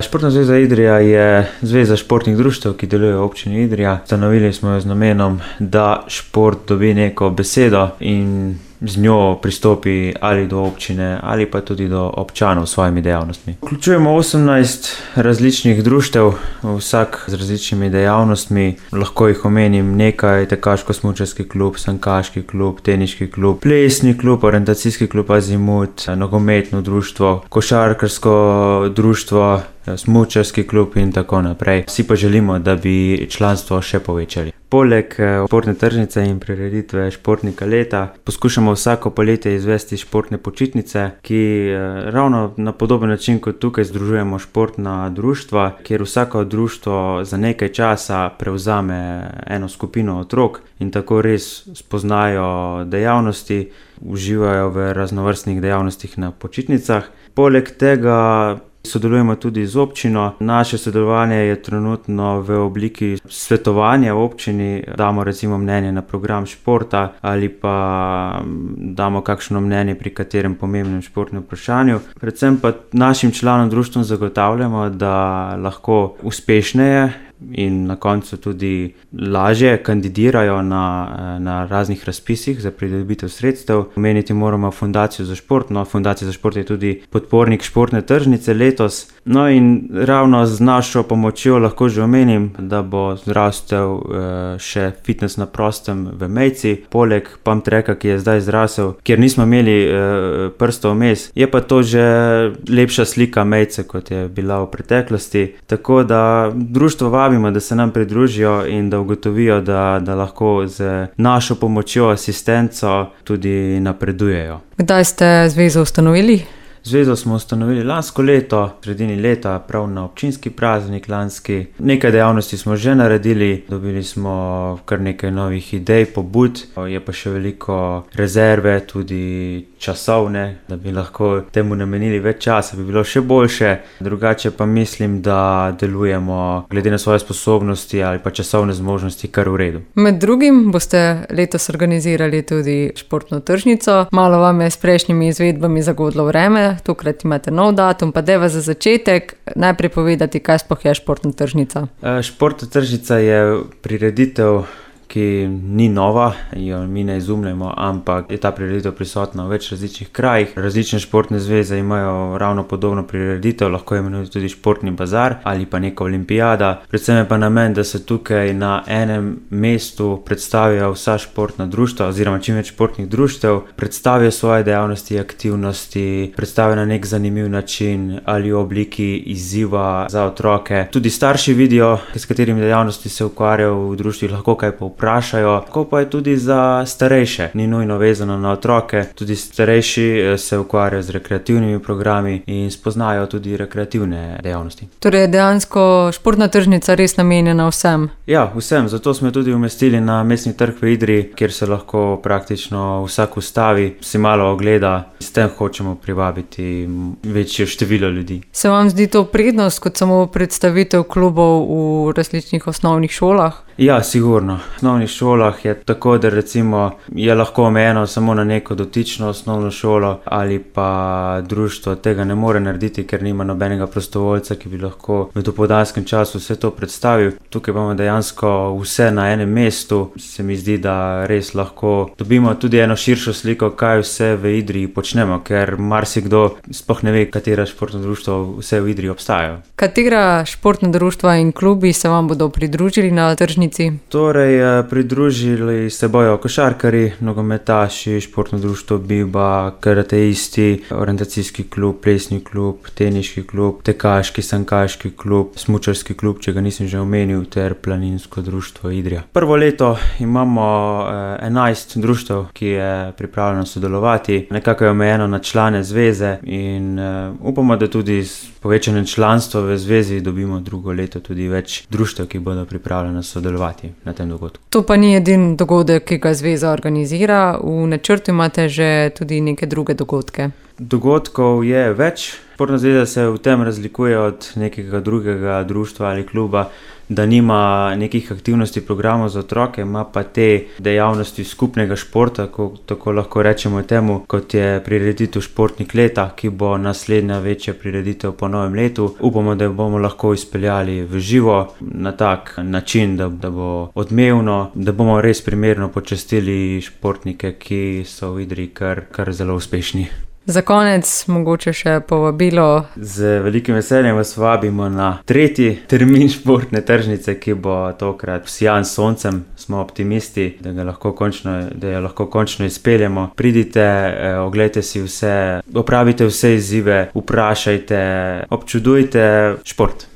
Športna zveza Idrija je zveza športnih društev, ki deluje v občini Idrija. Ustanovili smo jo z namenom, da šport dobi neko besedo in z njo pristopi ali do občine ali pa tudi do občanov s svojimi dejavnostmi. Vključujemo 18 različnih društev, vsak z različnimi dejavnostmi. Lahko jih omenim nekaj: tekaško-smučarski klub, sankaški klub, teniški klub, plesni klub, orientacijski klub Azimut, nogometno društvo, košarkarsko društvo, smučarski klub in tako naprej. Vsi pa želimo, da bi članstvo še povečali. Poleg športne tržnice in prireditve športnika leta poskušamo vsako poletje izvesti športne počitnice, ki ravno na podoben način kot tukaj združujemo športna društva, kjer vsako društvo za nekaj časa prevzame eno skupino otrok in tako res spoznajo dejavnosti, uživajo v raznovrstnih dejavnostih na počitnicah. Poleg tega sodelujemo tudi z občino. Naše sodelovanje je trenutno v obliki svetovanja v občini. Damo recimo mnenje na program športa ali pa damo kakšno mnenje pri katerem pomembnem športnem vprašanju. Predvsem pa našim članom društvom zagotavljamo, da lahko uspešneje in na koncu tudi lažje kandidirajo na raznih razpisih za pridobitev sredstev. Omeniti moramo Fundacijo za šport. Fundacija za šport je tudi podpornik športne tržnice letos. No in ravno z našo pomočjo lahko že omenim, da bo zrastel še fitness na prostem v Mejci. Poleg pump tracka, ki je zdaj zrasel, kjer nismo imeli prstov vmes, je pa to že lepša slika Mejce, kot je bila v preteklosti. Tako da društvo vabimo, da se nam pridružijo in da ugotovijo, da lahko z našo pomočjo, asistenco tudi napredujejo. Kdaj ste zvezo ustanovili? Zvezo smo ustanovili lansko leto, v sredini leta, prav na občinski praznik lanski. Nekaj dejavnosti smo že naredili, dobili smo kar nekaj novih idej, pobud, je pa še veliko rezerve, tudi časovne, da bi lahko temu namenili več časa, bi bilo še boljše. Drugače pa mislim, da delujemo glede na svoje sposobnosti ali pa časovne zmožnosti kar v redu. Med drugim boste letos organizirali tudi športno tržnico. Malo vam je s prejšnjimi izvedbami zagodlo vreme, tokrat imate nov datum, pa dajva za začetek najprej povedati, kaj sploh je športna tržnica. Športna tržnica je prireditev, ki ni nova, jo mi ne izumljamo, ampak je ta prireditev prisotna v več različnih krajih. Različne športne zveze imajo ravno podobno prireditev, lahko je imenuje tudi športni bazar ali pa neka olimpijada. Predvsem je pa namen, da se tukaj na enem mestu predstavijo vsa športna društva oziroma čim več športnih društev, predstavijo svoje dejavnosti, aktivnosti, predstavijo na nek zanimiv način ali v obliki izziva za otroke. Tudi starši vidijo, s katerimi dejavnosti se ukvarjajo v društvih, lahko kaj vprašajo, kako pa je tudi za starejše. Ni nujno vezano na otroke, tudi starejši se ukvarjajo z rekreativnimi programi in spoznajo tudi rekreativne dejavnosti. Torej je dejansko športna tržnica res namenjena vsem? Ja, vsem, zato smo tudi umestili na mestni trg v Idriji, kjer se lahko praktično vsak ustavi, si malo ogleda. S tem hočemo privabiti večje število ljudi. Se vam zdi to prednost kot samo predstavitev klubov v različnih osnovnih šolah? Ja, sigurno. V osnovnih šolah je tako, da recimo je lahko omejeno samo na neko dotično osnovno šolo ali pa društvo tega ne more narediti, ker nima nobenega prostovoljca, ki bi lahko v dopoldanskem času vse to predstavil. Tukaj imamo dejansko vse na enem mestu. Se mi zdi, da res lahko dobimo tudi eno širšo sliko, kaj vse v Idriji počnemo, ker marsikdo sploh ne ve, katera športna društva vse v Idriji obstajajo. Katera športna društva in klubi se vam bodo pridružili na tržnici? Torej, pridružili se bojo košarkarji, nogometaši, športno društvo Biba, karateisti, orientacijski klub, plesni klub, teniški klub, tekaški, sankaški klub, smučarski klub, če ga nisem že omenil, ter planinsko društvo Idrija. Prvo leto imamo 11 društev, ki je pripravljeno sodelovati. Nekako je omejeno na člane zveze in upamo, da tudi s povečanjem članstva v zvezi dobimo drugo leto tudi več društev, ki bodo pripravljene sodelovati na tem dogodku. To pa ni edini dogodek, ki ga zveza organizira. V načrtu imate že tudi neke druge dogodke. Dogodkov je več. Športna zveza se v tem razlikuje od nekega drugega društva ali kluba, da nima nekih aktivnosti, programov za otroke, ima pa te dejavnosti skupnega športa, tako lahko rečemo temu, kot je prireditev Športnik leta, ki bo naslednja večja prireditev po novem letu. Upamo, da jo bomo lahko izpeljali v živo na tak način, da bo odmevno, da bomo res primerno počastili športnike, ki so v Idriji kar zelo uspešni. Za konec mogoče še povabilo. Z velikim veseljem vas vabimo na 3. termin športne tržnice, ki bo tokrat vsijan s soncem. Smo optimisti, da jo lahko končno izpeljemo. Pridite, oglejte si vse, opravite vse izzive, vprašajte, občudujte šport.